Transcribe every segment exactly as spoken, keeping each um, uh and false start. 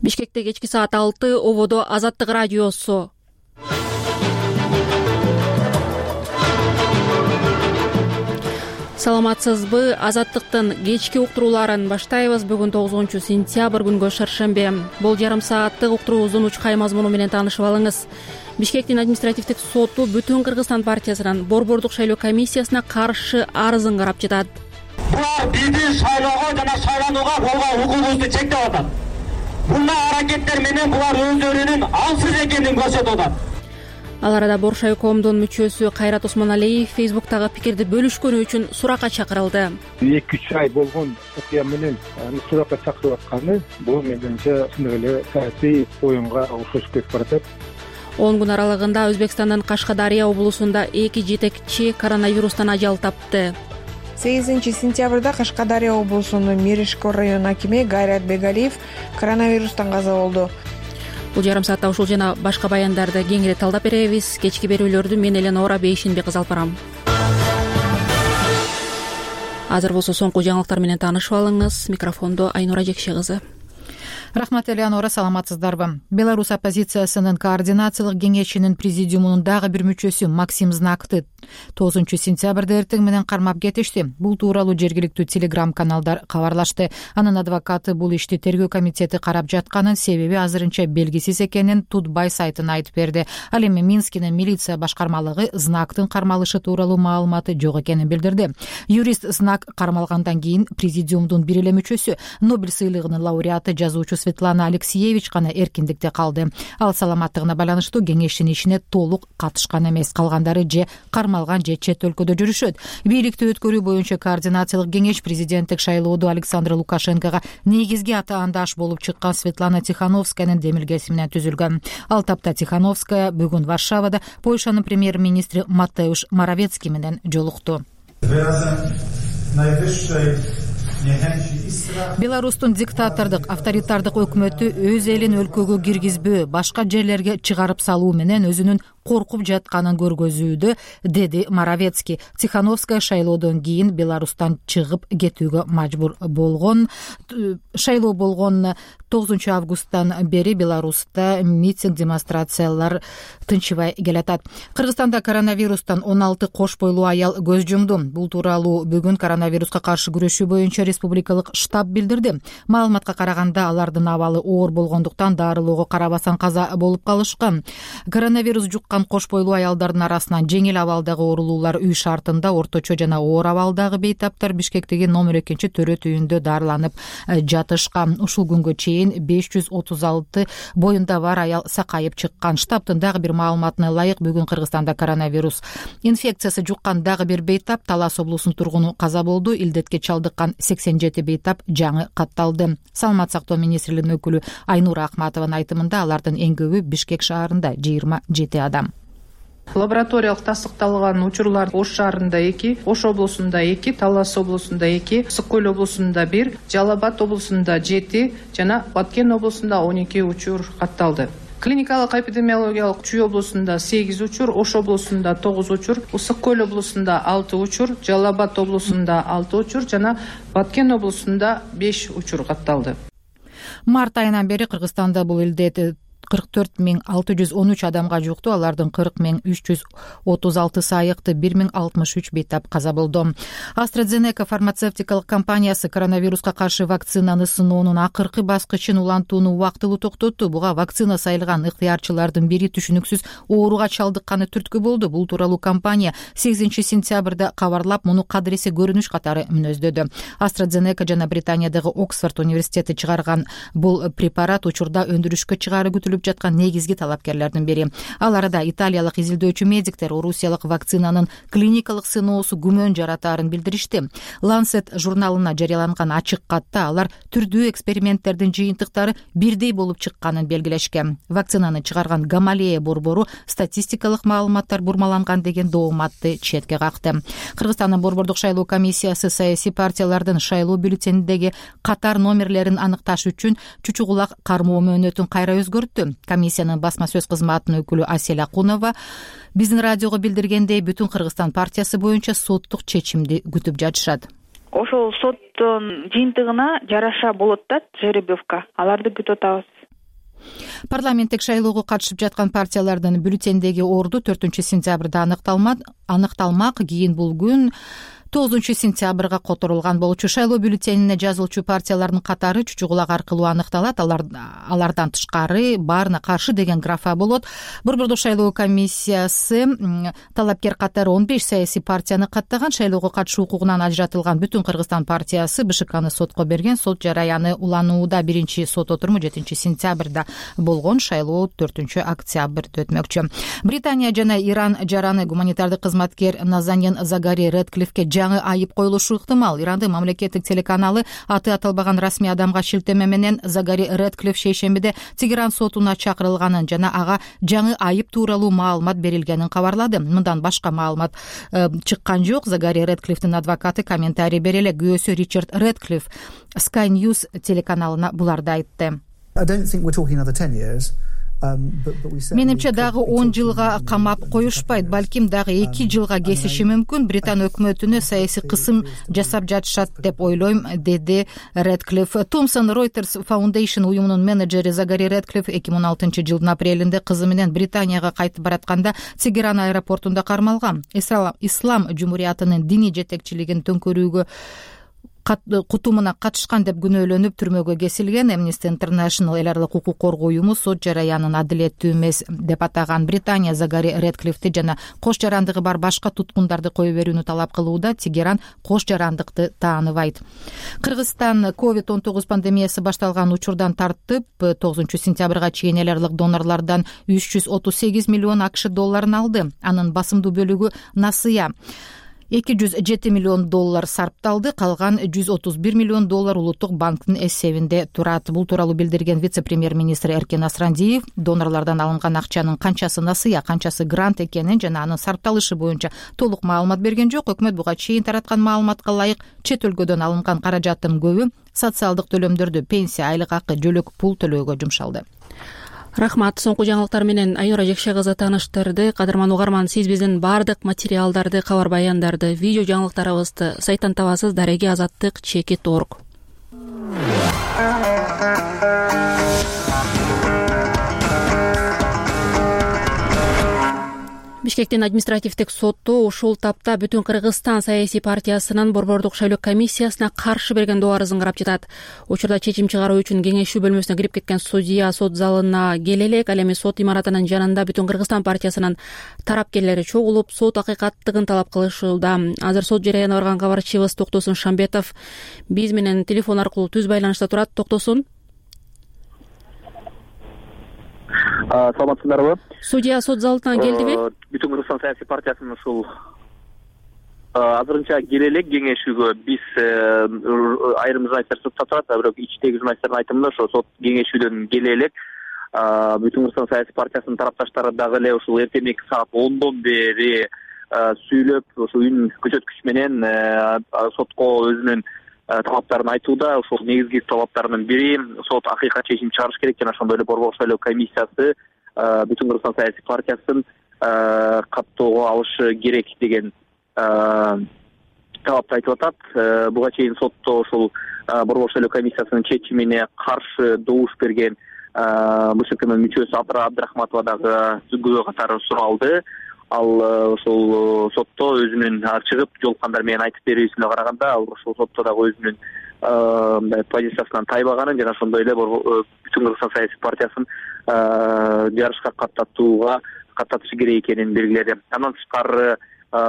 Бишкекте кечки саат алты, ободо Азаттык радиосу. Саламатсызбы? Азаттыктын кечки уктурууларын баштайбыз. Бүгүн тогузунчу сентябрь күнгө шаршембе. Бул жарым сааттык уктуруубуздун учкай мазмуну менен таанышып алыңыз. Бишкектин административдик соту Бүтүн Кыргызстан партиясынын борбордук шайлоо комиссиясына каршы арызын карап жатат. Булар биздин шайлоого жана шайланууга болгон укугубузду чектеп атат. Мындай аракеттер менен булар өздөрүнүн аңсыз экенин көрсөтүп атат. Ал арада Боршайкомдун мүчөсү Кайрат Осмоналиев Фейсбуктагы пикирди бөлүшкөнү үчүн суракка чакырылды. эки үч ай болгон окуя менен суракка чакырып атканы бул менимче чындык эле саясий оюнга окшош кетип баратат. он күн аралыгында Өзбекстандын Кашкадария облусунда эки жетекчи коронавирустан ажал тапты. сегизинчи сентябрда Кашкадария облусунун Миришкор район акими Гайрат Бегалиев коронавирустан каза болду. Бул жарым саатта ушул жана башка баяндарды кеңири талдап беребиз. Кечки берүүлөрдү мен Эленора Бейшинбек кызы алып барам. Азыр болсо соңку жаңылыктар менен таанышып алыңыз. Микрофондо Айнура Жекше кызы. Рахмат, Элеонора, саламатсыздарбы? Беларусь оппозициясынын координациялык кеңешинин президиумунун дагы бир мүчөсү Максим Знакты тогузунчу сентябрда эртең менен кармап кетишти. Бул тууралуу жергиликтүү телеграм каналдар кабарлашты. Анын адвокаты бул ишти тергөө комитети карап жатканын, себеби азырынча белгисиз экенин Тутбай сайтына айтып берди. Ал эми Минскинин милиция башкармалыгы Знактын кармалышы тууралуу маалыматы жок экенин билдирди. Юрист Знак кармалгандан кийин президиумдун бир эле мүчөсү, Нобель сыйлыгынын лауреаты жазуучу Светлана Алексеевич гана эркиндикте калды. Ал саламаттыгына байланыштуу кеңештин ишине толук катышкан эмес. Калгандары же кармалган же чет өлкөдө жүрүшөт. Бийликти өткөрүү боюнча координациялык кеңеш президенттик шайлоодо Александр Лукашенкого негизги атаандаш болуп чыккан Светлана Тихановскаянын демилгеси менен түзүлгөн. Ал тапта Тихановская бүгүн Варшавада Польшанын премьер-министри Матеуш Моровецкий менен жолукту. Беларустун диктатордук, авторитардык өкмөтү өз элин өлкөгө киргизбөө, башка жерлерге чыгарып салуу менен өзүнүн коркуп жатканын көргөзүүдө, деди Моровецкий. Тихановская шайлоодон кийин Беларустан чыгып кетүүгө мажбур болгон. Шайлоо болгон тогузунчу августтан бери Беларуста митинг, демонстрациялар тынчыбай келатат. Кыргызстанда коронавирустан он алты кош бойлуу аял көз жумду. Бул тууралуу бүгүн коронавируска каршы күрөшүү боюнча республикалык штаб билдирди. Маалыматка караганда алардын абалы оор болгондуктан дарылоого карабастан каза болуп калышкан. Коронавирус жуккан кош бойлуу аялдардын арасынан жеңил абалдагы оорулуулар үй шартында, орточо жана оор абалдагы бейтаптар Бишкектеги номер экинчи төрөт үйүндө дарыланып жатышкан. Ушул күнгө чейин беш жүз отуз алты боюнда бар аял сакайып чыккан. Штабтын дагы бир маалыматына ылайык, бүгүн Кыргызстанда коронавирус инфекциясы жуккан дагы бир бейтап Талас облусунун тургуну каза болду. Илдетке чалдыккан сексен жети бейтап жаңы катталды. Саламат сактоо министрлигинин өкүлү Айнура Ахматованын айтымында алардын эң көбү Бишкек шаарында жыйырма жети адам. Лабораториялык тастыкталган учурлар Ош шаарында эки, Ош облусунда эки, Талас облусунда эки, Ысык көл облусунда бир, Жалал Абад облусунда жети жана Баткен облусунда он эки учур катталды. Клиникалык эпидемиологиялык Чүй облусунда сегиз учур, Ош облусунда тогуз учур, Ысык көл облусунда алты учур, Жалал Абад облусунда алты учур жана Баткен облусунда беш учур катталды. Март айынан бери Кыргызстанда бул илдет кырк төрт миң алты жүз он үч адамга жукту. Алардын кырк миң үч жүз отуз алтысы айыкты, бир миң алтымыш үч бейтап каза болду. AstraZeneca фармацевтикалык компаниясы коронавируска каршы вакцинаны сыноонун акыркы баскычын улантууну убактылуу токтотту. Буга вакцина сайылган ыктыярчылардын бири түшүнүксүз ооруга чалдыкканы түрткү болду. Бул тууралуу компания сегизинчи сентябрда кабарлап, муну кадыресе көрүнүш катары мүнөздөдү. AstraZeneca жана Британиядагы Оксфорд университети чыгарган бул препарат учурда өндүрүшкө чыгаары күтүлүп жаткан негизги талапкерлердин бири. Ал арада италиялык изилдөөчү медиктер орусиялык вакцинанын клиникалык сыноосу күмөн жаратаарын билдиришти. Lancet журналына жарыяланган ачык катта алар түрдүү эксперименттердин жыйынтыктары бирдей болуп чыкканын белгилешкен. Вакцинаны чыгарган Гамалея борбору статистикалык маалыматтар бурмаланган деген дооматты четке какты. Кыргызстандын борбордук шайлоо комиссиясы саясий партиялардын шайлоо бюллетениндеги катар номерлерин аныкташ үчүн чучугулак кармоо мөөнөтүн кайра өзгөрттү. Комиссиянын басма сөз кызматынын өкүлү Асель Акунова биздин радиого билдиргендей, Бүтүн Кыргызстан партиясы боюнча соттук чечимди күтүп жатышат. Ошол соттун жыйынтыгына жараша болот да жеребьевка. Аларды күтүп атабыз. Парламенттик шайлоого катышып жаткан партиялардын бюллетендеги орду төртүнчү сентябрда аныкталмак. Кийин бул күн тогузунчу сентябрга которулган болчу. Шайлоо бюллетенине жазылчу партиялардын катары чүчү кулак аркылуу аныкталат. Алар алардан тышкары баарына каршы деген графа болот. Борбордук шайлоо комиссиясы талапкер катары он беш саясий партияны каттаган. Шайлоого катышуу укугунан ажыратылган Бүтүн Кыргызстан партиясы БШКны сотко берген. Сот жараяны уланууда биринчи сот отуруму жетинчи сентябрда болгон. Шайлоо төртүнчү октябрда өтмөкчү. Британия жана Иран жараны гуманитардык кызматкер Назанин Загари Редклифке жаңы айып коюлушу ыктымал. Ирандын мамлекеттик телеканалы аты аталбаган расмий адамга шилтеме менен Загари Редклиф шейшембиде Тегеран сотуна чакырылганын жана ага жаңы айып тууралуу маалымат берилгенин кабарлады. Мындан башка маалымат э, чыккан жок. Загари Редклифтин адвокаты комментарий бере эле. Күйөөсү Ричард Редклиф Sky News телеканалына буларды айтты. Менимче дагы он жылга камап коюшпайт, балким дагы эки жылга кесиши мүмкүн. Британ өкмөтүнө саясий кысым жасап жатышат деп ойлойм, деди Редклифф. Thomson Reuters Foundation уюмунун менеджери Загари Редклифф эки миң он алтынчы жылдын апрелинде кызы менен Британияга кайтып баратканда Тегеран аэропортунда кармалган. Ислам жумуриятынын диний жетекчилигин төңкөрүүгө кутумуна катышкан деп күнөөлөнүп түрмөгө кесилген. Amnesty International эл аралык укук коргоо уюму сот жараянын адилеттүү эмес деп атаган. Британия Загари Редклиффти жана кош жарандыгы бар башка туткундарды кое берүүнү талап кылууда. Тегеран кош жарандыкты тааныбайт. Кыргызстан ковид он тогуз пандемиясы башталган учурдан тартып тогузунчу сентябрга чейин эл аралык донорлордон үч жүз отуз сегиз миллион акш долларын алды. Анын басымдуу бөлүгү насыя. эки жүз жети миллион доллар сарпталды, калган жүз отуз бир миллион доллар улуттук банктын эсебинде турат. Бул тууралуу билдирген вице-премьер-министр Эркен Асрандиев донорлордон алынган акчанын канчасы насыя, канчасы грант экенин жана анын сарпталышы боюнча толук маалымат берген жок. Өкмөт буга чейин тараткан маалыматка ылайык чет өлкөдөн алынган каражаттын көбү социалдык төлөмдөрдү, пенсия, айлык акы, жөлөк пул төлөөгө жумшалды. Рахмат. Соңку жаңылыктар менен Айнура Жекше кызы тааныштырды. Кадырман угарман, сиз биздин баардык материалдарды, кабар баяндарды, видео жаңылыктарыбызды сайттан табасыз. Дареги азаттык чекит орг. Бишкектин административдик соту ушул тапта Бүтүн Кыргызстан саясий партиясынын борбордук шайлоо комиссиясына каршы берген доо арызын карап жатат. Учурда чечим чыгаруу үчүн кеңешүү бөлмөсүнө кирип кеткен судья сот залына келе элек. Ал эми сот имаратынын жанында Бүтүн Кыргызстан партиясынын тарапкерлери чогулуп, сот акыйкаттыгын талап кылышууда. Азыр сот жараянына барган кабарчыбыз Токтосун Шамбетов биз менен телефон аркылуу түз байланышта турат. Токтосун. Саламатсыздарбы? Судья сот залына келдиби? Бүтүн Кыргызстан саясий партиясынын ушул азырынча келе элек кеңешүүгө биз айрым журналисттер сотто турат, бирок ичтеги журналисттердин айтымында ошо сот кеңешүүдөн келе элек Бүтүн Кыргызстан саясий партиясынын тарапташтары дагы эле ушул эртеңки саат ондон бери сүйлөп, ошо үн көрсөткүч менен сотко өзүнүн талаптарын айтууда. Ошол негизги талаптарынын бири сот акыйкат чечим чыгарыш керек жана ошондой эле борбордук шайлоо комиссиясы Бүтүн Кыргызстан саясий партиясын каттоого алышы керек деген талапты айтып атат. Буга чейин сотто ошол борбордук шайлоо комиссиясынын чечимине каршы добуш берген БШКнын мүчөсү Абдыра Абдрахматова дагы күбө катары суралды. Ал ошол сотто өзүнүн чыгып жолуккандар менен айтып берүүсүнө караганда, ал ошол сотто дагы өзүнүн мындай позициясынан тайбаганын жана ошондой эле Бүтүн Кыргызстан саясий партиясын жарышка каттатууга каттатышы керек экенин белгиледи. Андан тышкары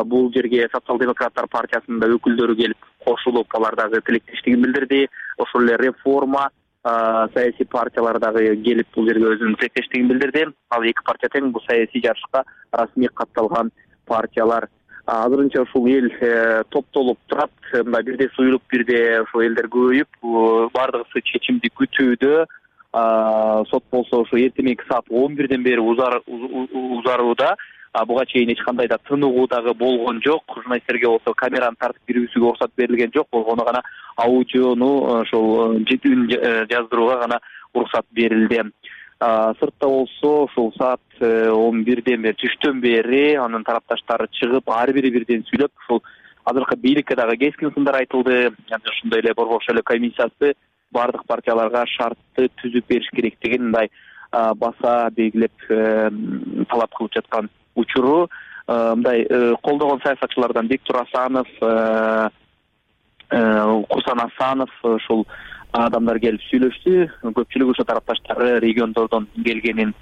бул жерге социал-демократтар партиясынын да өкүлдөрү келип кошулуп, алар дагы тилектештигин билдирди. Ошол эле реформа саясий партиялар дагы келип бул жерге өзүнүн тилектештигин билдирди. Ал эки партия тең бул саясий жарышка расмий катталган партиялар. Азырынча ушул эл топтолуп турат, мындай бирде суюлуп, бирде ошол элдер көбөйүп, бардыгысы чечимди күтүүдө. Сот болсо ошо эртеңки саат он бирден бери узарууда. Буга чейин эч кандай да тыныгуу дагы болгон жок. Журналисттерге болсо камераны тартып кирүүсүгө уруксат берилген жок. Болгону гана аудиону ошол үн жаздырууга гана уруксат берилди. Сыртта болсо ошол саат он бирден бери, түштөн бери анын тарапташтары чыгып, ар бири бирден сүйлөп, ошол азыркы бийликке дагы кескин сындар айтылды. Ошондой эле борбордук шайлоо комиссиясы бардык партияларга шартты түзүп бериш керектигин мындай баса белгилеп талап кылып жаткан учуру. Мындай колдогон саясатчылардан Бектур Асанов, Курсан Асанов ушул адамдар келип сүйлөштү. Көпчүлүк ошо тарапташтары региондордон келгенин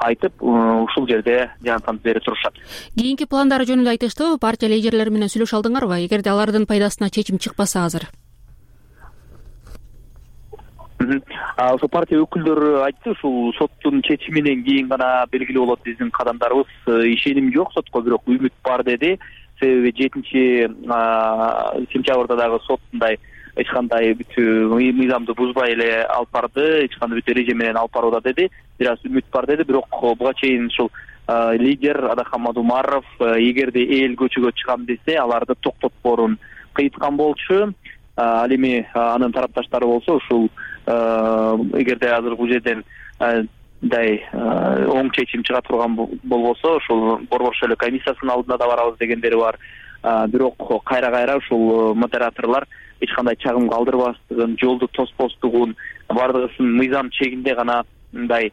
айтып, ушул жерде жаңы берип турушат. Кийинки пландары жөнүндө айтыштыбы? Партия лидерлери менен сүйлөшө алдыңарбы? Эгерде алардын пайдасына чечим чыкпаса азыр? Ошо партия өкүлдөрү айтты, ушул соттун чечиминен кийин гана белгилүү болот биздин кадамдарыбыз. Ишеним жок сотко, бирок үмүт бар деди. Себеби жетинчи сентябрда дагы сот мындай эч кандай бүт мыйзамды бузбай эле алып барды, эч кандай бүт эреже менен алып барууда деди. Бир аз үмүт бар деди, бирок буга чейин ушул лидер Адахмат Умаров эгерде эл көчөгө чыгам десе, аларды токтотпоорун кыйткан болчу. Ал эми анын тарапташтары болсо ушул эгерде азыр бул жерден мындай оң чечим чыга турган болбосо, ушул Борбор шайлоо комиссиясынын алдына да барабыз дегендери бар. Бирок кайра-кайра ушул модераторлор эч кандай чагым калтырбастыгын, жолду тоспостугун, бардыгысын мыйзам чегинде гана мындай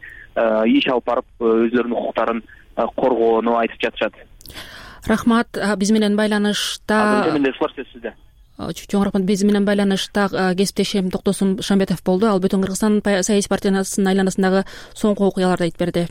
иш алып барып өзлөрүнүн укуктарын коргоону айтып жатышат. Рахмат. Биз менен байланышта сизде. Чоң рахмат. Биз менен байланышта кесиптешим Токтосун Шамбетов болду. Ал бүтүн Кыргызстан саясий партиясынын айланасындагы соңку окуяларды айтып берди.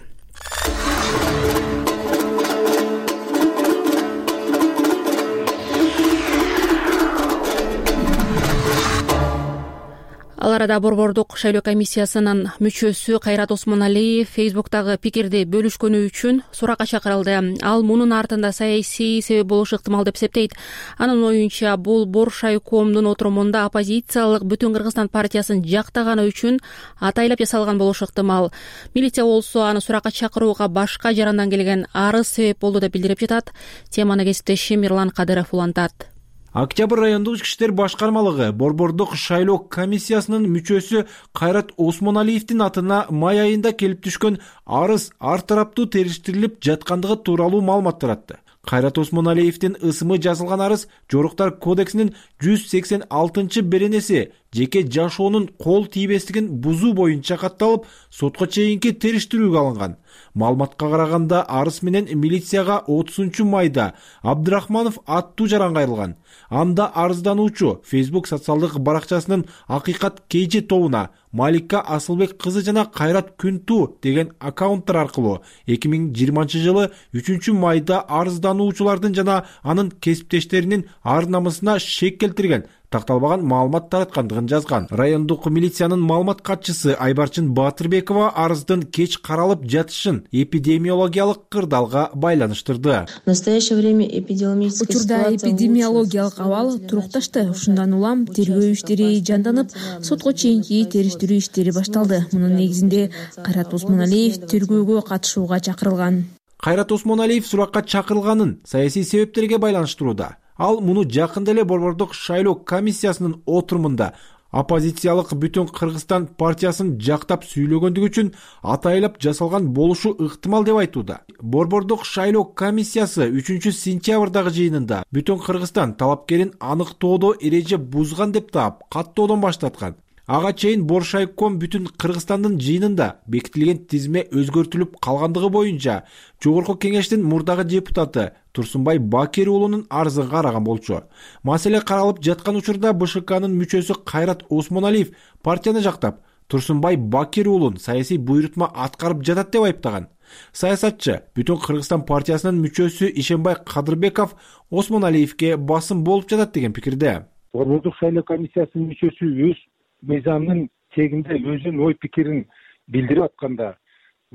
Ал арада Борбордук шайлоо комиссиясынын мүчөсү Кайрат Осмоналиев Фейсбуктагы пикирди бөлүшкөнү үчүн суракка чакырылды. Ал мунун артында саясий себеп болушу ыктымал деп эсептейт. Анын оюнча, бул Боршайкомдун отурумунда оппозициялык Бүтүн Кыргызстан партиясын жактаганы үчүн атайлап жасалган болушу ыктымал. Милиция болсо аны суракка чакырууга башка жарандан келген арыз себеп болду деп билдирип жатат. Теманы кесиптешим Мирлан Кадыров улантат. Октябрь райондук ички иштер башкармалыгы Борбордук шайлоо комиссиясынын мүчөсү Кайрат Осмоналиевдин атына май айында келип түшкөн арыз ар тараптуу териштирилип жаткандыгы тууралуу маалымат таратты. Кайрат Осмоналиевдин ысымы жазылган арыз Жоруктар кодексинин жүз сексен алтынчы беренеси жеке жашоонун кол тийбестигин бузуу боюнча катталып, сотко чейинки териштирүүгө алынган. Маалыматка караганда арыз менен милицияга отузунчу майда Абдрахманов аттуу жаран кайрылган. Анда арыздануучу Facebook социалдык баракчасынын Акыйкат Кейжи тобуна Малика Асылбек кызы жана Кайрат Күнтүү деген аккаунттар аркылуу эки миң жыйырманчы жылы үчүнчү майда арыздануучулардын жана анын кесиптештеринин ар намысына шек келтирген такталбаган маалымат тараткандыгын жазган. Райондук милициянын маалымат катчысы Айбарчын Батырбекова арыздын кеч каралып жатышын эпидемиологиялык кырдаалга байланыштырды. В настоящее время эпидемиологическая учурда эпидемиологиялык абал турукташты. Ушундан улам тергөө иштери жанданып, сотко чейинки териштирүү иштери башталды. Мунун негизинде Кайрат Осмоналиев тергөөгө катышууга чакырылган. Кайрат Осмоналиев суракка чакырылганын саясий себептерге байланыштырууда. Ал муну жакында эле Борбордук шайлоо комиссиясынын отурумунда оппозициялык Бүтүн Кыргызстан партиясын жактап сүйлөгөндүгү үчүн атайлап жасалган болушу ыктымал деп айтууда. Борбордук шайлоо комиссиясы үчүнчү сентябрдагы жыйынында Бүтүн Кыргызстан талапкерин аныктоодо эреже бузган деп таап, каттоодон баштаткан. Ага чейин Боршайком Бүтүн Кыргызстандын жыйынында бекитилген тизме өзгөртүлүп калгандыгы боюнча Жогорку кеңештин мурдагы депутаты Турсунбай Бакир уулунун арызын караган болчу. Маселе каралып жаткан учурда БШКнын мүчөсү Кайрат Осмоналиев партияны жактап, Турсунбай Бакир уулун саясий буйрутма аткарып жатат деп айыптаган. Саясатчы Бүтүн Кыргызстан партиясынын мүчөсү Ишенбай Кадырбеков Осмоналиевке басым болуп жатат деген пикирде. Борбордук шайлоо комиссиясынын мүчөсү өз мыйзамдын чегинде өзүнүн ой пикирин билдирип атканда,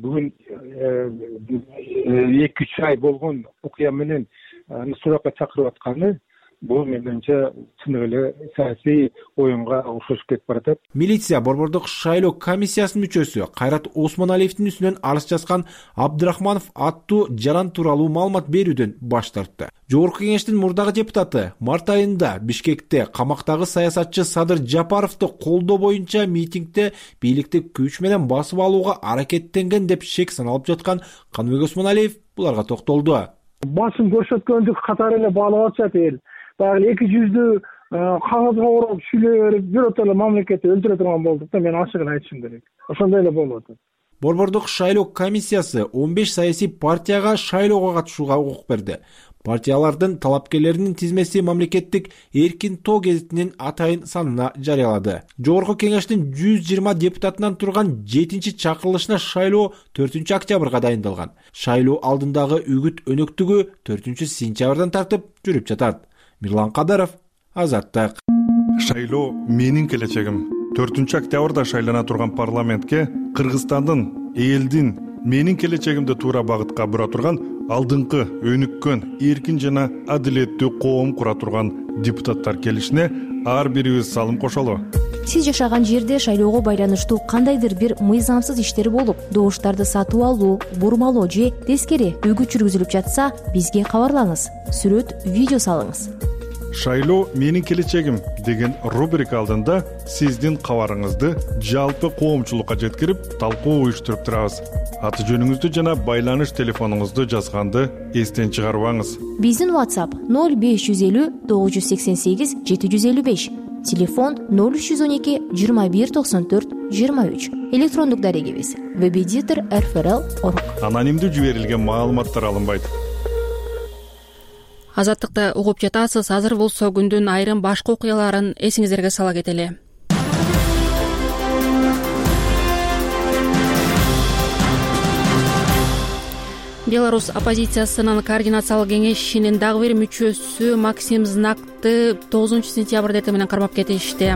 бүгүн эки үч ай болгон окуя менен суракка чакырып атканы бул менимче чын эле саясий оюнга окшошуп кетип баратат. Милиция Борбордук шайлоо комиссиясынын мүчөсү Кайрат Осмоналиевдин үстүнөн арыз жазган Абдрахманов аттуу жаран тууралуу маалымат берүүдөн баш тартты. Жогорку кеңештин мурдагы депутаты март айында Бишкекте камактагы саясатчы Садыр Жапаровду колдоо боюнча митингде бийликти күч менен басып алууга аракеттенген деп шек саналып жаткан Каныбек Осмоналиев буларга токтолду. Басым көрсөткөндүк катары эле баалап атышат эл. Баягы эки жүздү кагазга ороп сүйлөп берип биротоло мамлекетти өлтүрө турган болдук да, мен ачыгын айтышым керек. Ошондой эле болуп атат. Борбордук шайлоо комиссиясы он беш саясий партияга шайлоого катышууга укук берди. Партиялардын талапкерлеринин тизмеси мамлекеттик эркин тоо гезитинин атайын санына жарыялады. Жогорку кеңештин жүз жыйырма депутатынан турган жетинчи чакырылышына шайлоо төртүнчү октябрга дайындалган. Шайлоо алдындагы үгүт өнөктүгү төртүнчү сентябрдан тартып жүрүп жатат. Мирлан Кадаров, Азаттык. Шайлоо менин келечегим. төртүнчү октябрда шайлана турган парламентке Кыргызстандын, элдин менин келечегимди туура багытка бура турган алдыңкы өнүккөн, эркин жана адилеттүү коом кура турган депутаттар келишине ар бирибиз салым кошолу. Сиз жашаган жерде шайлоого байланыштуу кандайдыр бир мыйзамсыз иштер болуп, добуштарды сатып алуу, бурмалоо же тескери үгүт жүргүзүлүп жатса, бизге кабарлаңыз. Сүрөт, видео салыңыз. Шайлоо менин келечегим деген рубрика алдында сиздин кабарыңызды жалпы коомчулукка жеткирип, талкуу уюштуруп турабыз. Аты жөнүңүздү жана байланыш телефонуңузду жазганды эстен чыгарбаңыз. Биздин WhatsApp ноль беш жүз элүү тогуз жүз сексен сегиз жети жүз элүү беш, телефон ноль үч жүз он эки жыйырма бир токсон төрт жыйырма үч, электрондук дарегибиз webeditor эр эф эр эл точка орг. Анонимдүү жиберилген маалыматтар алынбайт. Азаттыкты угуп жатасыз. Азыр болсо күндүн айрым башка окуяларын эсиңиздерге сала кетели. Беларусь оппозициясынын координациялык кеңешинин дагы бир мүчөсү Максим Знакты тогузунчу сентябрда эртең менен кармап кетишти.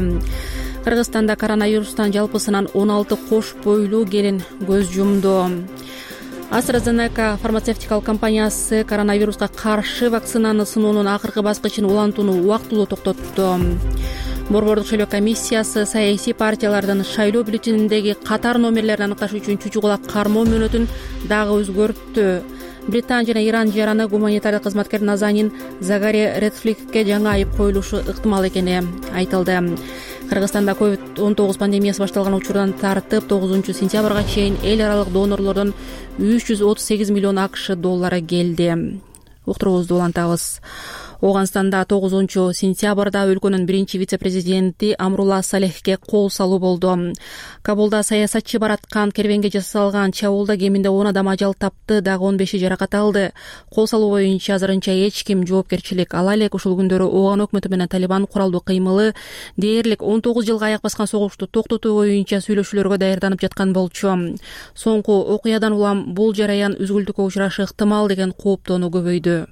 Кыргызстанда коронавирустан жалпысынан он алты кош бойлуу келин көз жумду. AstraZeneca фармацевтикалык компаниясы коронавируска каршы вакцинаны сыноонун акыркы баскычын улантууну убактылуу токтотту. Борбордук шайлоо комиссиясы саясий партиялардын шайлоо бюллетениндеги катар номерлерин аныкташ үчүн чүчү кулак кармоо мөөнөтүн дагы өзгөрттү. Британия жана Иран жараны гуманитардык кызматкер Назанин Загари Редфликке жаңы айып коюлушу ыктымал экени айтылды. Кыргызстанда ковид он тогуз пандемиясы башталган учурдан тартып тогузунчу сентябрга чейин эл аралык донорлордон үч жүз отуз сегиз миллион акш доллары келди. Уктуруубузду улантабыз. Ооганстанда тогузунчу сентябрда өлкөнүн биринчи вице-президенти Амрула Салехке кол салуу болду. Кабулда саясатчы бараткан кервенге жасалган чабуулда кеминде он адам ажал тапты, дагы он беши жаракат алды. Кол салуу боюнча азырынча эч ким жоопкерчилик ала элек. Ушул күндөрү Ооган өкмөтү менен Талибан куралдуу кыймылы дээрлик он тогуз жылга аяк баскан согушту токтотуу боюнча сүйлөшүүлөргө даярданып жаткан болчу. Соңку окуядан улам бул жараян үзгүлтүккө учурашы ыктымал деген кооптонуу көбөйдү.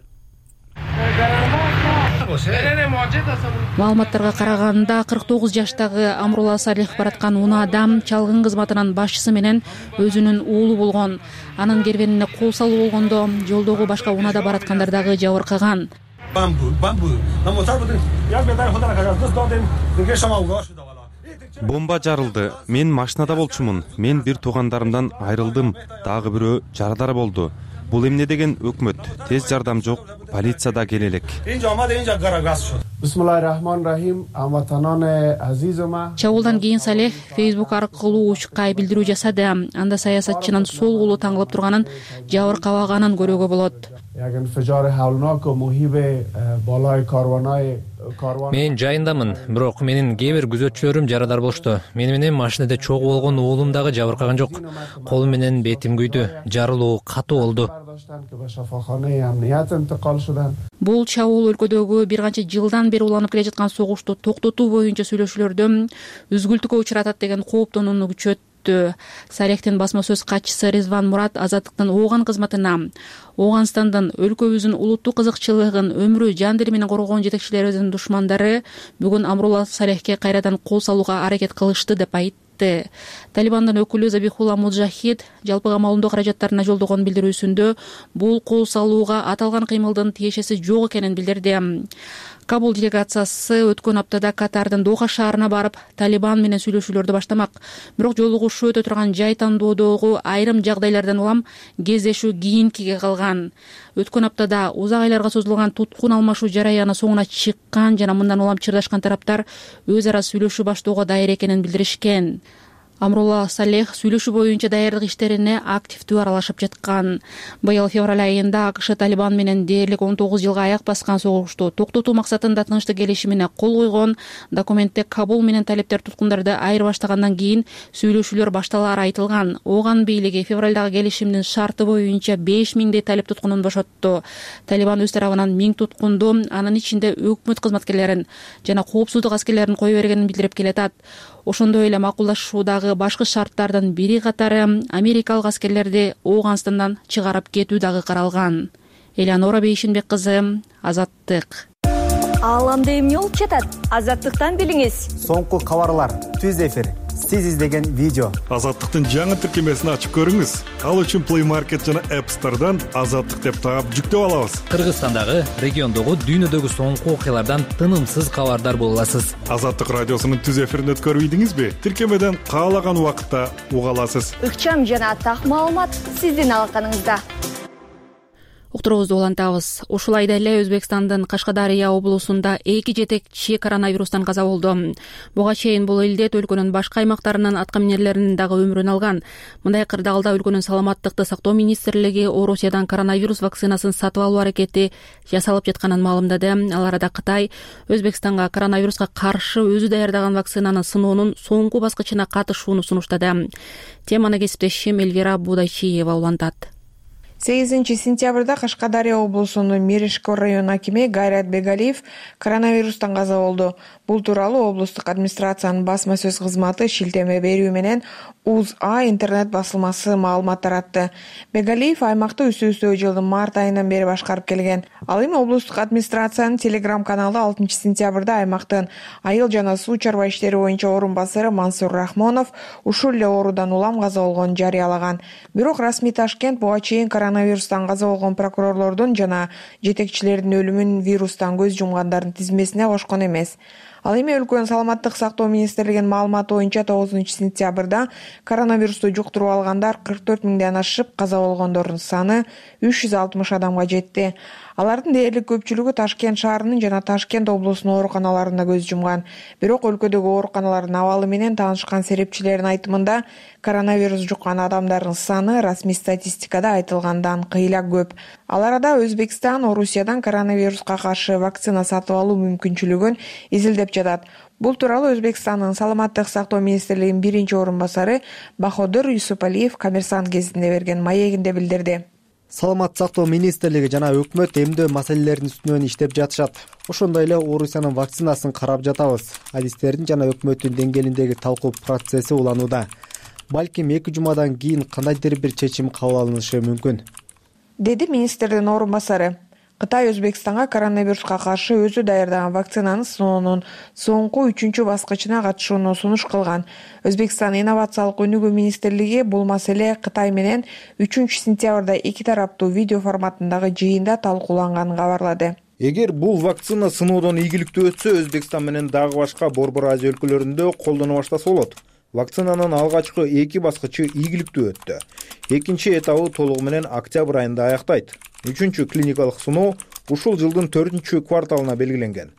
Маалыматтарга караганда кырк тогуз жаштагы Амрула Салех бараткан он адам чалгын кызматынын башчысы менен өзүнүн уулу болгон. Анын кервенине кол салуу болгондо жолдогу башка унада бараткандар дагы жабыркаган. Бомба жарылды. Мен машинада болчумун. Мен бир туугандарымдан айрылдым. Дагы бирөө жарадар болду. Бул эмне деген өкмөт? Тез жардам жок, полиция да келе элек. Чабуулдан кийин Салех Facebook аркылуу учкай билдирүү жасады. Анда саясатчынын сол колу таңылып турганын, жабыркабаганын көрүүгө болот. Мен жайындамын, бирок менин кээ бир күзөтчүлөрүм жарадар болушту. Мени менен машинада чогуу болгон уулум дагы жабыркаган жок. Колум менен бетим күйдү, жарылуу катуу болду. Бул чабуул өлкөдөгү бир канча жылдан бери уланып келе жаткан согушту токтотуу боюнча сүйлөшүүлөрдө үзгүлтүккө учуратат деген кооптонууну күчөттү. Салехтин басма сөз катчысы Резван Мурат Азаттыктын Ооган кызматына Ооганстандын өлкөбүздүн улуттук кызыкчылыгын, өмүрү, жан дили менен коргогон жетекчилерибиздин душмандары бүгүн Амрула Салехке кайрадан кол салууга аракет кылышты деп айтты. Талибандын өкүлү Забихулла Муджахид жалпы камалындоо каражаттарына жолдогон билдирүүсүндө бул кол салууга аталган кыймылдын тиешеси жок экенин билдирди. Кабул делегациясы өткөн аптада Катардын Доха шаарына барып, Талибан менен сүйлөшүүлөрдү баштамак. Бирок жолугушуу өтө турган жай тандоодогу айрым жагдайлардан улам кездешүү кийинкиге калган. Өткөн аптада узак айларга созулган туткун алмашуу жараяны соңуна чыккан жана мындан улам чырдашкан тараптар өз ара сүйлөшүү баштоого дайыр экенин билдиришкен. Амрула Салех сүйлөшүү боюнча даярдык иштерине активдүү аралашып жаткан. Быйыл февраль айында АКШ Талибан менен дээрлик он тогуз жылга аяк баскан согушту токтотуу максатында тынчтык келишимине кол койгон. Документте Кабул менен талиптер туткундарды айырбаштагандан кийин сүйлөшүүлөр башталаары айтылган. Оган бийлиги февралдагы келишимдин шарты боюнча беш миңдей талип туткунун бошотту. Талибан өз тарабынан миң туткунду, анын ичинде өкмөт кызматкерлерин жана коопсуздук аскерлерин кое бергенин билдирип келатат. Ошондой эле макулдашуудагы башкы шарттардын бири катары америкалык аскерлерди Ооганстандан чыгарып кетүү дагы каралган. Элеонора Бейшинбек кызы, Азаттык. Ааламда эмне болуп жатат? Азаттыктан билиңиз. Соңку кабарлар, түз эфир, сиз издеген видео. Азаттыктын жаңы тиркемесин ачып көрүңүз. Ал үчүн Play Market жана App Store'дан Азаттык деп таап жүктөп алабыз. Кыргызстандагы, региондогу, дүйнөдөгү соңку окуялардан тынымсыз кабардар боло аласыз. Азаттык радиосунун түз эфирин өткөрүп ийдиңизби? Тиркемеден каалаган убакытта уга аласыз. Ыкчам жана так маалымат сиздин алаканыңызда. Уктуруубузду улантабыз. Ушул айда эле Өзбекстандын Кашкадария облусунда эки жетекчи коронавирустан каза болду. Буга чейин бул илдет өлкөнүн башка аймактарынын аткаминерлеринин дагы өмүрүн алган. Мындай кырдаалда өлкөнүн саламаттыкты сактоо министрлиги Орусиядан коронавирус вакцинасын сатып алуу аракети жасалып жатканын маалымдады. Ал арада Кытай Өзбекстанга коронавируска каршы өзү даярдаган вакцинаны сыноонун соңку баскычына катышууну сунуштады. Теманы кесиптешим Эльвира Будайчиева улантат. сегизинчи сентябрда Кашкадария облусунун Миришкор район акими Гайрат Бегалиев коронавирустан каза болду. Бул тууралуу облустук администрациянын басма сөз кызматы шилтеме берүү менен УЗА интернет басылмасы маалымат таратты. Бегалиев аймакты үстө-үстө жылдын март айынан бери башкарып келген. Ал эми облустук администрациянын телеграм каналы алтынчы сентябрда аймактын айыл жана суу чарба иштери боюнча орун басары Мансур Рахмонов ушул эле оорудан улам каза болгонун жарыялаган. Бирок расмий Ташкент буга чейин коронавирустан каза болгон прокурорлордун жана жетекчилердин өлүмүн вирустан көз жумгандардын тизмесине кошкон эмес. Ал эми өлкөнүн саламаттык сактоо министрлигинин маалыматы боюнча тогузунчу сентябрда коронавирусту жуктуруп алгандар кырк төрт миңден ашып, каза болгондордун саны үч жүз алтымыш адамга жетти. Алардын дээрлик көпчүлүгү Ташкент шаарынын жана Ташкент облусунун ооруканаларында көз жумган. Бирок өлкөдөгү ооруканалардын абалы менен таанышкан серепчилердин айтымында коронавирус жуккан адамдардын саны расмий статистикада айтылгандан кыйла көп. Ал арада Өзбекстан Орусиядан коронавируска каршы вакцина сатып алуу мүмкүнчүлүгүн изилдеп жатат. Бул тууралуу Өзбекстандын саламаттык сактоо министрлигинин биринчи орун басары Баходур Юсупалиев Коммерсант гезитине берген маегинде билдирди. Саламаттык сактоо министрлиги жана өкмөт эмдөө маселелеринин үстүнөн иштеп жатышат. Ошондой эле Орусиянын вакцинасын карап жатабыз. Адистердин жана өкмөттүн деңгээлиндеги талкуу процесси уланууда. Балким эки жумадан кийин кандайдыр бир чечим кабыл алынышы мүмкүн, деди министрдин орун басары. Кытай Өзбекстанга коронавируска каршы өзү даярдаган вакцинаны сыноонун соңку үчүнчү баскычына катышууну сунуш кылган. Өзбекстан инновациялык өнүгүү министрлиги бул маселе Кытай менен үчүнчү сентябрда эки тараптуу видео форматындагы жыйында талкууланганын кабарлады. Эгер бул вакцина сыноодон ийгиликтүү өтсө, Өзбекстан менен дагы башка Борбор Азия өлкөлөрүндө колдоно баштаса болот. Вакцинанын алгачкы эки баскычы ийгиликтүү өттү. Экинчи этабы толугу менен октябрь айында аяктайт. Үчүнчү клиникалык сыноо ушул жылдын төртүнчү кварталына белгиленген,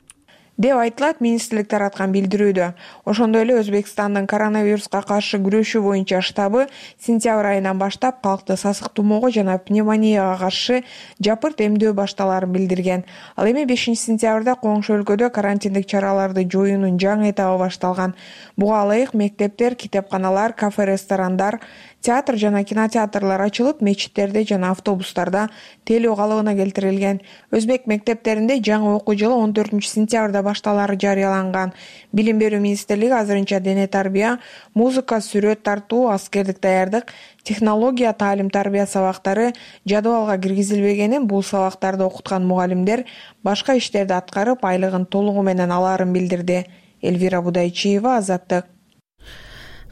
деп айтылат министрлик тараткан билдирүүдө. Ошондой эле Өзбекстандын коронавируска каршы күрөшүү боюнча штабы сентябрь айынан баштап калкты сасык тумоого жана пневмонияга каршы жапырт эмдөө башталаарын билдирген. Ал эми бешинчи сентябрда коңшу өлкөдө карантиндик чараларды жоюунун жаңы этабы башталган. Буга ылайык мектептер, китепканалар, кафе, ресторандар, театр жана кинотеатрлар ачылып, мечиттерде жана автобустарда телөө калыбына келтирилген. Өзбек мектептеринде жаңы окуу жылы он төртүнчү сентябрда башталаары жарыяланган. Билим берүү министрлиги азырынча дене тарбия, музыка, сүрөт тартуу, аскердик даярдык, технология, таалим тарбия сабактары жадыбалга киргизилбегенин, бул сабактарды окуткан мугалимдер башка иштерди аткарып, айлыгын толугу менен алаарын билдирди. Эльвира Будайчиева, Азаттык.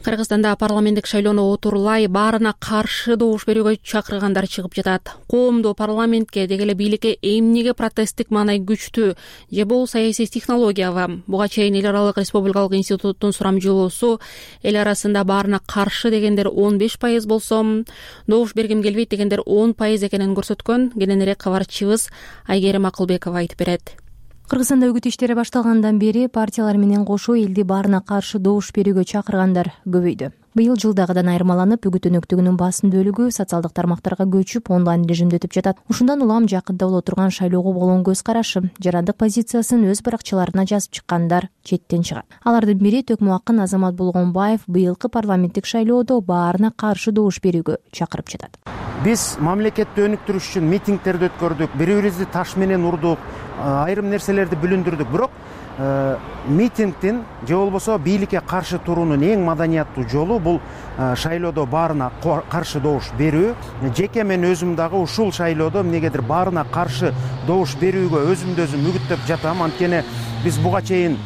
Кыргызстанда парламенттик шайлоону отурлай баарына каршы добуш берүүгө чакыргандар чыгып жатат. Коомдо парламентке деги эле бийликке эмнеге протесттик маанай күчтүү же бул саясий технологиябы? Буга чейин эл аралык республикалык институттун сурамжылоосу эл арасында баарына каршы дегендер он беш пайыз болсо, добуш бергим келбейт дегендер он пайыз экенин көрсөткөн. Кененирээк кабарчыбыз Айгерим Акылбекова айтып берет. Кыргызстанда үгүт иштери башталгандан бери партиялар менен кошо элди баарына каршы добуш берүүгө чакыргандар көбөйдү. Быйыл жылдагыдан айырмаланып, үгүт өнөктүгүнүн басым бөлүгү социалдык тармактарга көчүп, онлайн режимде өтүп жатат. Ушундан улам жакында боло турган шайлоого болгон көз карашы, жарандык позициясын өз баракчаларына жазып чыккандар четтен чыгат. Алардын бири Төкмө Акын Азамат Болгонбаев быйылкы парламенттик шайлоодо баарына каршы добуш берүүгө чакырып жатат. Биз мамлекетти өнүктүрүш үчүн митингдерди өткөрдүк, бири-бирибизди таш менен урдук, айрым нерселерди бүлүндүрдүк, бирок митингдин же болбосо бийликке каршы туруунун эң маданияттуу жолу бул шайлоодо баарына каршы добуш берүү. Жеке мен өзүм дагы ушул шайлоодо эмнегедир баарына каршы добуш берүүгө өзүмдү өзүм үгүттөп жатам. Анткени биз буга чейин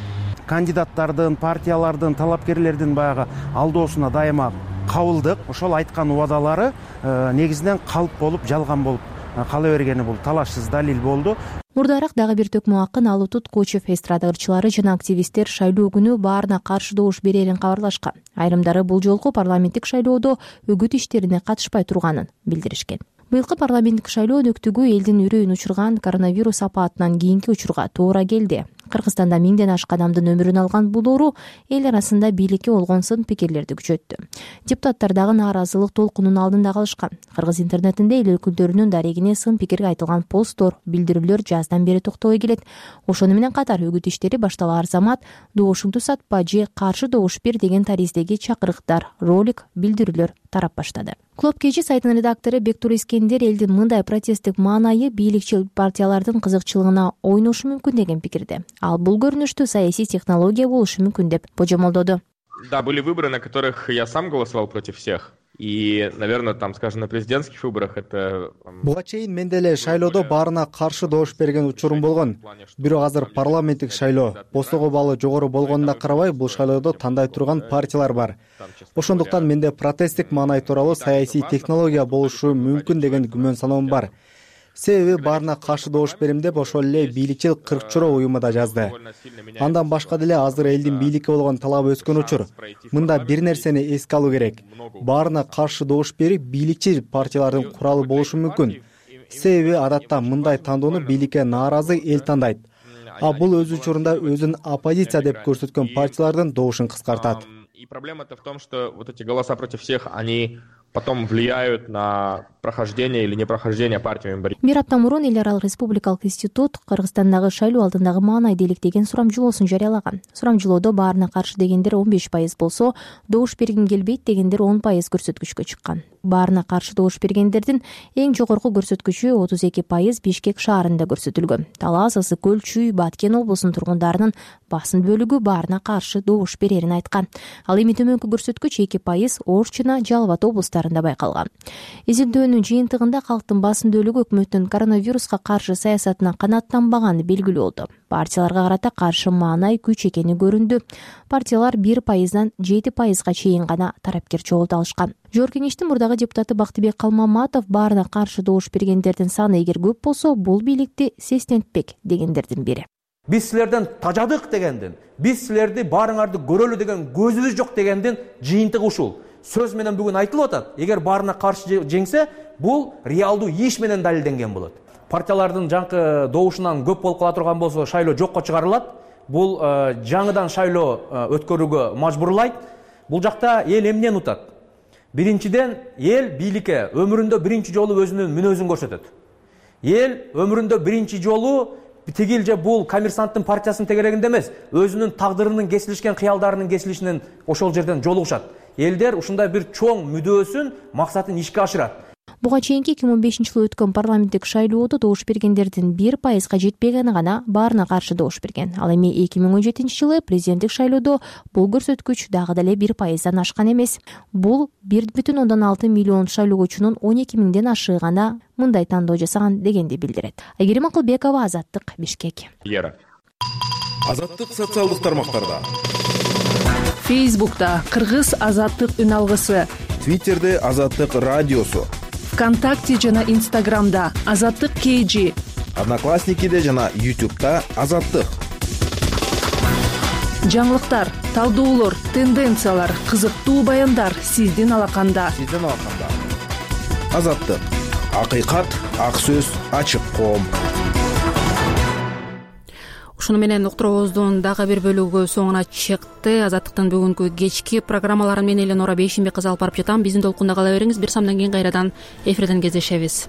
кандидаттардын, партиялардын, талапкерлердин баягы алдоосуна дайыма кабылдык. Ошол айткан убадалары негизинен калп болуп, жалган болуп кала бергени бул талашсыз далил болду. Мурдараак дагы бир Төкмө Акын, Алутут Кочев эстрада ырчылары жана активисттер шайлоо күнү баарына каршы добуш берерин кабарлашкан. Айрымдары бул жолку парламенттик шайлоодо үгүт иштерине катышпай турганын билдиришкен. Быйылкы парламенттик шайлоо өнөктүгү элдин үрөйүн учурган коронавирус апаатынан кийинки учурга туура келди. Кыргызстанда миңден ашык адамдын өмүрүн алган бул оору эл арасында бийликке болгон сын пикирлерди күчөттү. Депутаттар дагы нааразылык толкунунун алдында калышкан. Кыргыз интернетинде эл өкүлдөрүнүн дарегине сын пикирге айтылган посттор, билдирүүлөр жаздан бери токтобой келет. Ошону менен катар үгүт иштери башталаар замат добушуңду сатпа же каршы добуш бер деген тариздеги чакырыктар, ролик, билдирүүлөр тарап баштады. Клуб Кечи сайтынын редактору Бектур Искендер элдин мындай протесттик маанайы бийликчил партиялардын кызыкчылыгына ойношу мүмкүн деген пикирде. Ал бул көрүнүштү саясий технология болушу мүмкүн деп божомолдоду. Да, были выборы, на которых я сам голосовал против всех. И, наверное, там, скажем, на президентских выборах это... Буга чейин мен деле шайлоодо баарына каршы добуш берген учурум болгон. Бирок азыр парламенттик шайлоо бостогу баллы жогору болгонуна карабай бул шайлоодо тандай турган партиялар бар. Ошондуктан менде протесттик маанай тууралуу саясий технология болушу мүмкүн деген күмөн саноом бар. Себеби баарына каршы добуш берим деп ошол эле бийликчил кырк чора уюму да жазды. Андан башка деле азыр элдин бийликке болгон талабы өскөн учур. Мында бир нерсени эске алуу керек. Баарына каршы добуш берип бийликчил партиялардын куралы болушу мүмкүн. Себеби адатта мындай тандоону бийликке нааразы эл тандайт. А бул өз учурунда өзүн оппозиция деп көрсөткөн партиялардын добушун кыскартат. И проблема-то в том, что вот эти голоса против всех, они потом влияют на прохождение или непрохождение партиями борьбы. Бир апта мурун Эл аралык республикалык институт Кыргызстандагы шайлоо алдындагы маанай делектеген сурамжылоосун жарыялаган. Сурамжылоодо баарына каршы дегендер он беш пайыз болсо, добуш бергим келбейт дегендер он пайыз көрсөткүчкө чыккан. Баарына каршы добуш бергендердин эң жогорку көрсөткүчү отуз эки пайыз Бишкек шаарында көрсөтүлгөн. Талас, Ысык Көл, Чүй, Баткен облусунун тургундарынын басым бөлүгү баарына каршы добуш берерин айткан. Ал эми төмөнкү көрсөткүч эки пайыз Ош жана Жалал Абад облустарында байкалган. Изилдөөнүн жыйынтыгында калктын басым бөлүгү өкмөттүн коронавируска каршы саясатына канааттанбаганы белгилүү болду. Партияларга карата каршы маанай күч экени көрүндү. Партиялар бир пайыздан жети пайызга чейин гана тарапкер чогулта алышкан. Жогорку кеңештин мурдагы депутаты Бактыбек Калмаматов баарына каршы добуш бергендердин саны эгер көп болсо, бул бийликти сестентпек дегендердин бири. Биз силерден тажадык дегендин, биз силерди баарыңарды көрөлү деген көзүбүз жок дегендин жыйынтыгы ушул. Сөз менен бүгүн айтылып атат. Эгер баарына каршы жеңсе, бул реалдуу иш менен далилденген болот. Партиялардын жаңкы добушунан көп болуп кала турган болсо, шайлоо жокко чыгарылат. Бул жаңыдан шайлоо өткөрүүгө мажбурлайт. Бул жакта эл эмнени утат? Биринчиден, эл бийликке өмүрүндө биринчи жолу өзүнүн мүнөзүн көрсөтөт. Эл өмүрүндө биринчи жолу тигил же бул коммерсанттын партиясынын тегерегинде эмес, өзүнүн тагдырынын кесилишкен кыялдарынын кесилишинен ошол жерден жолугушат. Элдер ушундай бир чоң мүдөөсүн, максатын ишке ашырат. Буга чейинки эки миң он бешинчи жылы өткөн парламенттик шайлоодо добуш бергендердин бир пайызга жетпегени гана баарына каршы добуш берген. Ал эми эки миң он жетинчи жылы президенттик шайлоодо бул көрсөткүч дагы деле бир пайыздан ашкан эмес. Бул бир бүтүн ондон алты миллион шайлоочунун он эки миңден ашыгы гана мындай тандоо жасаган дегенди билдирет. Айгерим Акылбекова, Азаттык, Бишкек. Азаттык социалдык тармактарда. Фейсбукта Кыргыз Азаттык үн алгысы. Твиттерде Азаттык радиосу. ВКонтакте жана Инстаграмда Азаттык КЖ. Одноклассникиде жана Ютубта Азаттык. Жаңылыктар, талдоолор, тенденциялар, кызыктуу баяндар сиздин алаканда. Сиздин алаканда. Азаттык. Акыйкат, ак сөз, ачык коом. ушуну менен уктуруубуздун дагы бир бөлүгү соңуна чыкты. Азаттыктын бүгүнкү кечки программаларын мен Эленора Бейшимбек кызы алып барып жатам. Биздин толкунда кала бериңиз. Бир самдан кийин кайрадан эфирден кездешебиз.